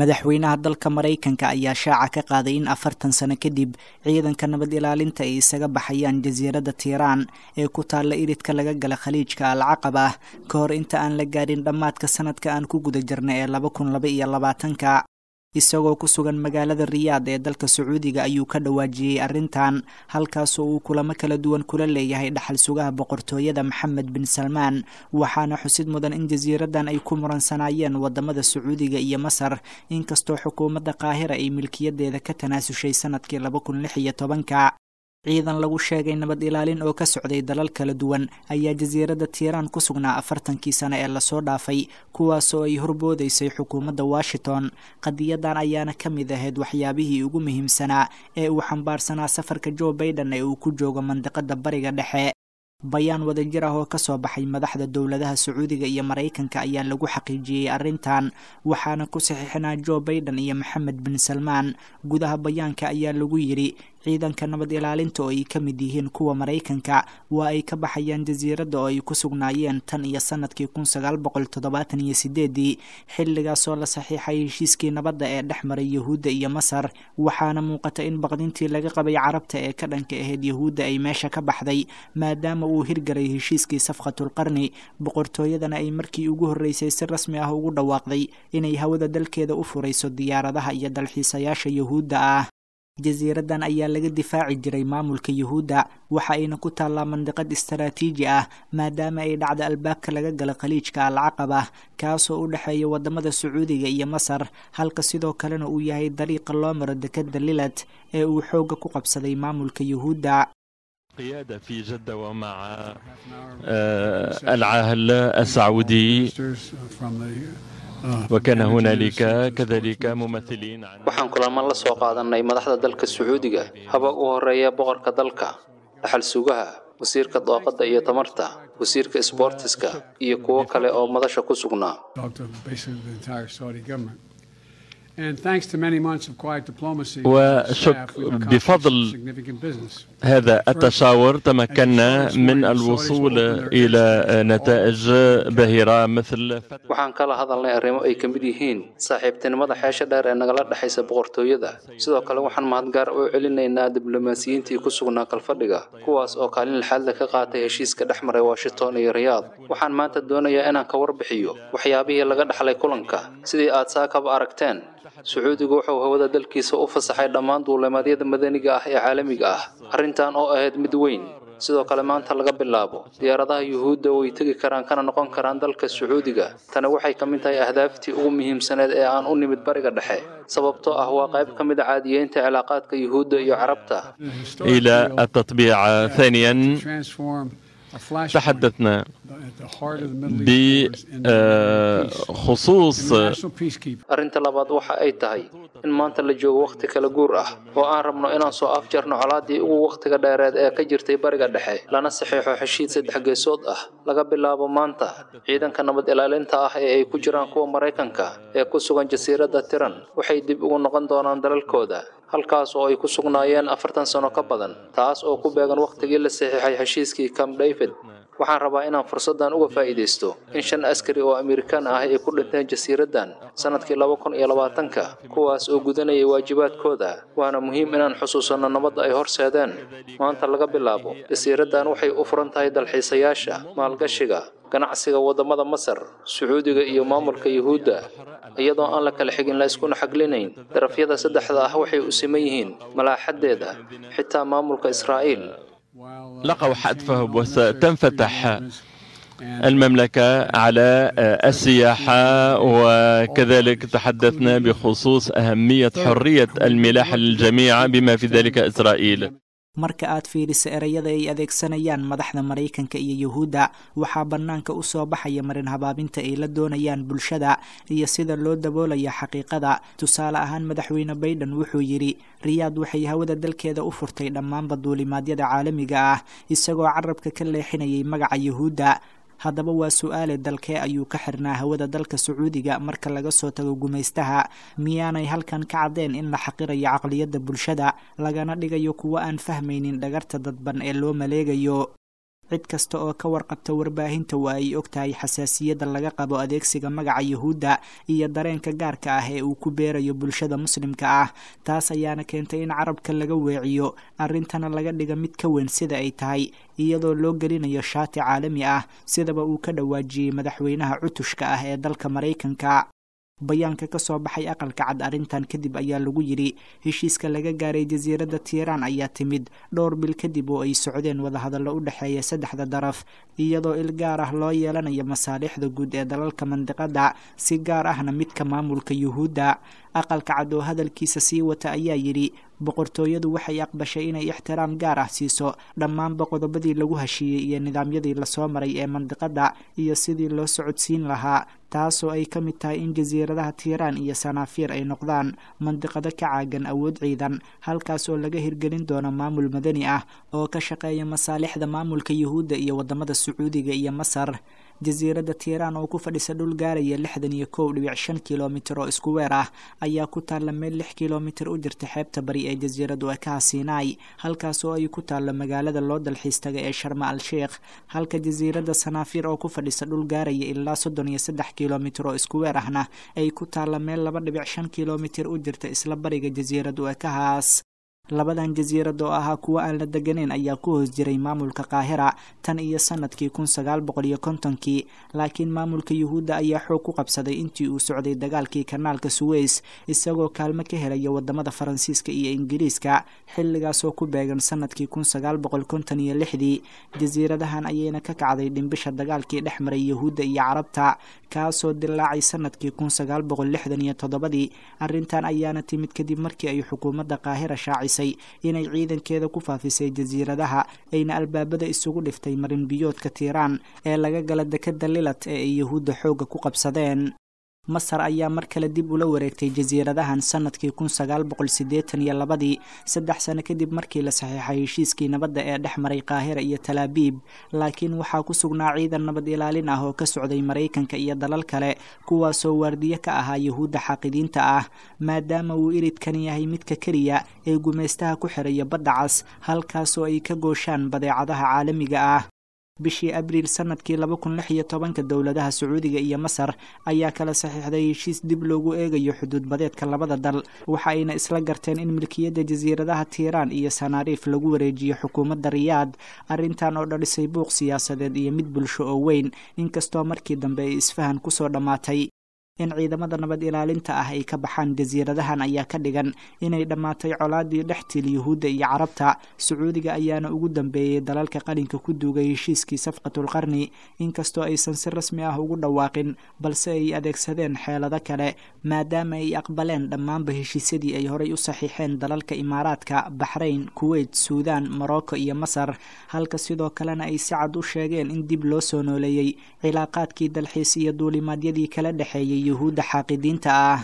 Madaxweynaha dalka Maraykanka ayaa shaaca ka qaaday in 40 sano kadib ciidanka nabad ilaalinta ay isaga baxayaan jasiiradda Tiiraan ee ku taalla iridka laga gala Khaliijka Alcaqaba, ka hor inta aan la gaadhin dhammaadka sanadka aan ku guda jirna ee 2022-ka. Isagoo ku sugan magaalada Riyaad ee dalka Sacuudiga ayuu ka dhawaajiyey arrintan, halkaasoo uu kulamo kala duwan kula leeyahay dhaxal sugaha boqortooyada Maxamed bin Salmaan. Waxaana xusid mudan in jasiiraddan ay ku muransanaayeen wadamada Sacuudiga iyo Masar, inkastoo xukuumadda Qaahira ay milkiyadeeda ka tanaasushay sanadkii 2016-ka. Ciidan lagu sheegay nabad ilaalin oo ka socday dalal kala duwan ayaa jasiiradda Tiiraan ku sugnaa 40-kii sano ee lasoo dhaafay, kuwaasoo ay horboodaysay xukuumadda Washington. Qadiyadan ayaana ka mid ahayd waxyaabihii ugu muhiimsanaa ee uu xambaarsanaa safarka Joe Baiden ee uu ku joogo mandiqada Bariga Dhexe. Bayaan wadajir ah oo kasoo baxay madaxda dowladaha Sacuudiga iyo Maraykanka ayaa lagu xaqiijiyey arrintan, waxaana ku saxiixnaa Joe Baiden iyo Maxamed bin Salmaan. Gudaha bayaanka ayaa lagu yidhi: Ciidanka nabad ilaalinta oo ay ka mid yihiin kuwa Maraykanka waa ay ka baxayaan jasiiradda oo ay ku sugnaayeen tan iyo sanadkii 1978-dii, xilligaasoo la saxiixay heshiiskii nabadda ee dhex maray Yahuudda iyo Masar. Waxaana muuqata in baqdintii laga qabay Carabta ee ka dhanka ahayd Yahuudda ay meesha ka baxday, maadaama uu hirgalay heshiiskii safqatulqarni, boqortooyadana ay markii ugu horreysay si rasmi ah ugu dhawaaqday inay hawada dalkeeda u furayso diyaaradaha iyo dalxiisayaasha Yahuudda ah. Jasiiraddan ayaa laga difaaci jiray maamulka Yuhuudda, waxa ayna ku taallaa mandiqad istaraatiiji ah, maadaama ay dhacda albaabka laga gala Khaliijka Alcaqaba, kaasoo u dhexeeya wadamada Sacuudiga iyo Masar, halka sidoo kalena uu yahay dariiqa loo maro dekadda Lilat ee uu xoogga ku qabsaday maamulka Yuhuudda. قيادة في جدة ومع العاهل السعودي، وكان هنالك كذلك ممثلين عن Waxaan kulamo la soo qaadanay madaxda dalka Sacuudiga, haba u horeeya boqorka dalka, dhaxal sugaha, wasiirka daaqadda iyo tamarta, wasiirka isboortiska iyo kuwo kale oo madasha ku sugnaa. Talked to basically the entire Saudi government. And thanks to many months of quiet diplomacy, وشك staff, we've accomplished بفضل significant business. هذا التشاور تمكنا من الوصول إلى نتائج باهرة مثل Waxaan kala hadalnay arrimo ay ka mid yihiin saaxiibtinimada xeesha dheer ee nagala dhexaysa boqortooyada. Sidoo kale waxaan mahad gaar u celinaynaa diblomaasiyiintii ku sugnaa kalfadhiga, kuwaas oo kaalin lixaad leh ka qaatay heshiiska dhex maray Washington iyo Riyaad. Waxaan maanta doonayaa inaan ka warbixiyo waxyaabihii laga dhaxlay kulanka. Sidii aad saakaba aragteen, Sacuudigu wuxuu hawada dalkiisa u fasaxay dhammaan duulimaadyada madaniga ah ee caalamiga ah, arrintan oo ahayd mid weyn. Sidoo kale maanta laga bilaabo diyaaradaha Yuhuudda way tegi karaan kana noqon karaan dalka Sacuudiga. Tani waxay ka mid tahay ahdaaftii ugu muhiimsaneed ee aan u nimid Bariga Dhexe, sababtoo ah waa qayb ka mid a caadiyeynta cilaaqaadka Yuhuudda iyo Carabta. إلى التطبيع. ثانيا، Transform a flashpoint تحدثنا at the heart of the Middle East wars into peace. بخصوص International peacekeepers Arrinta labaad waxa ay tahay in maanta la joogo wakhti kala guur ah oo aan rabno inaan soo afjarno colaadii ugu wakhtiga dheereed ee ka jirtay Bariga Dhexe, lana saxiixo heshiis saddex geesood ah. Laga bilaabo maanta, ciidanka nabad ilaalinta ah ee ay ku jiraan kuwa Maraykanka ee ku sugan jasiiradda Tiran waxay dib ugu noqon doonaan dalalkooda, halkaas oo ay ku sugnaayeen 40 sano ka badan, taas oo ku beegan wakhtigii la saxiixay heshiiskii Camp David. Waxaan rabaa inaan fursaddan uga faa'iidaysto in shan askari oo Amerikaan ah ay ku dhinteen jasiiraddan sanadkii 2020-ka, kuwaas oo gudanayay waajibaadkooda, waana muhiim inaan xusuusanno nabadda ay horseedeen. Maanta laga bilaabo jasiiraddan waxay u furan tahay dalxiisayaasha, maalgashiga, ganacsiga waddamada Masar, Sacuudiga iyo maamulka Yuhuudda, iyadoo aan la kala xigin, la iskuna xaglinayn. Darafyada saddexda ah waxay u siman yihiin malaaxaddeeda, xitaa maamulka Israa'iil. while لقوا حتفهم، وستنفتح المملكة على السياحة. وكذلك تحدثنا بخصوص أهمية حرية الملاحة للجميع، بما في ذلك إسرائيل. Marka aad fiiriso ereyada ay adeegsanayaan madaxda Maraykanka iyo Yuhuudda, waxaa bannaanka u soo baxaya marin habaabinta ay la doonayaan bulshada iyo sida loo daboolaya xaqiiqada. Tusaale ahaan, madaxweyne Baiden wuxuu yidhi Riyaad waxay hawada dalkeeda u furtay dhammaanba duulimaadyada caalamiga ah, isagoo carabka ka leexinayay magaca Yuhuudda. Haddaba waa su-aale, dalkee ayuu ka xirnaa hawada dalka Sacuudiga marka laga soo tago gumaystaha? Miyaanay halkan ka caddeen in la xaqirayo caqliyadda bulshada, lagana dhigayo kuwo aan fahmaynin dhagarta dadban ee loo maleegayo? Cid kasta oo ka warqabta warbaahinta waa ay og tahay xasaasiyadda laga qabo adeegsiga magaca Yuhuudda iyo dareenka gaarka ah ee uu ku beerayo bulshada muslimka ah. Taas ayaana keentay in carabka laga weeciyo arrintana laga dhiga mid ka weyn sida ay tahay, iyadoo loo gelinayo shaati caalami ah, sidaba uu ka dhawaajiyey madaxweynaha cutushka ah ee dalka Maraykanka. Bayaanka ka soo baxay Aqalka Cad arrintan kadib ayaa lagu yidhi: heshiiska laga gaaray jasiiradda Tiiraan ayaa timid dhowr bil kadib oo ay socdeen wadahadallo u dhexeeya saddexda daraf, iyadoo il gaar ah loo yeelanayo masaalixda guud ee dalalka mandiqadda, si gaar ahna midka maamulka Yuhuudda. Aqalka Cad oo hadalkiisa sii wata ayaa yidhi: boqortooyadu waxay aqbashay inay ixtiraam gaar ah siiso dhammaanba qodobadii lagu heshiiyey iyo nidaamyadii lasoo maray ee mandiqadda iyo sidii loo socodsiin lahaa, taasoo ay ka mid tahay in jasiiradaha Tiiraan iyo Sanaafiir ay noqdaan mandiqado ka caagan awood ciidan, halkaas oo laga hirgelin doono maamul madani ah oo ka shaqeeya masaalixda maamulka Yuhuudda iyo waddamada Sacuudiga iyo Masar. Jasiiradda Tiiraan oo ku fadhisa dhul gaaraya 61.5 kilomitir oo isku weer ah ayaa ku taalla meel 6 kilomitir u jirta xeebta bari ee jasiiradu ekaha Siinaai, halkaas oo ay ku taallo magaalada loo dalxiis taga ee Sharma al Sheikh, halka jasiiradda Sanaafiir oo ku fadhisa dhul gaaraya ilaa 33 kilomitir oo isku weer ahna ay ku taalla meel 2.5 kilomitir u jirta isla bariga jasiiradu ekahaas. Labadan jasiirad oo ahaa kuwo aan la deganeyn ayaa ku hoos jiray maamulka Qaahira tan iyo sanadkii 1950-kii, laakiin maamulka Yuhuudda ayaa xoog ku qabsaday intii uu socday dagaalkii kanaalka Suweys, isagoo kaalmo ka helaya waddamada Faransiiska iyo Ingiriiska, xilligaasoo ku beegan sanadkii 1956-dii. Jasiiradahan ayayna ka kacday dhimbisha dagaalkii dhex maray Yuhuudda iyo Carabta, kaasoo dilaacay sanadkii 1967-dii. Arrintan ayaana timid kadib markii ay xukuumadda Qaahira shaacisay inay ciidankeeda ku faafisay jasiiradaha, ayna albaabada isugu dhiftay marin biyoodka Tiiraan ee laga gala dekadda Lilat ee ay Yuhuudda xoogga ku qabsadeen. Masar ayaa mar kale dib ula wareegtay jasiiradahan sanadkii 1982-dii, 3 sano kadib markii la saxiixay heshiiskii nabadda ee dhex maray Qaahira iyo Talaabiib, laakiin waxaa ku sugnaa ciidan nabad ilaalin ah oo ka socday Maraykanka iyo dalal kale, kuwaasoo waardiye ka ahaa Yuhuudda xaaqidiinta ah, maadaama uu iridkan yahay midka keliya ee gumaystaha ku xiraya Badda Cas, halkaasoo ay ka gooshaan badeecadaha caalamiga ah. Bishii Abriil sanadkii 2016-ka, dowladaha Sacuudiga iyo Masar ayaa kala saxiixday heshiis dib loogu eegayo xuduud badeedka labada dal, waxa ayna isla garteen in milkiyadda jasiiradaha Tiiraan iyo Sanaariif lagu wareejiyo xukuumadda Riyaad. Arrintan oo dhalisay buuq siyaasadeed iyo mid bulsho oo weyn, inkastoo markii dambe ay isfahan kusoo dhammaatay. In ciidamada nabad ilaalinta ah ay ka baxaan jasiiradahan ayaa ka dhigan inay dhammaatay colaadii dhex til Yuhuudda iyo Carabta. Sacuudiga ayaana ugu dambeeyey dalalka qalinka ku duugay heshiiskii Safqatulqarni, inkastoo aysan si rasmi ah ugu dhawaaqin, balse ay adeegsadeen xeelado kale, maadaama ay aqbaleen dhammaanba heshiisyadii ay horay u saxiixeen dalalka Imaaraadka, Baxrayn, Kuweyt, Suudaan, Morocco iyo Masar, halka sidoo kalena ay si cad u sheegeen in dib loo soo nooleeyey cilaaqaadkii dalxiis iyo duulimaadyadii kala dhexeeyey Yuhuudda xaaqidiinta ah.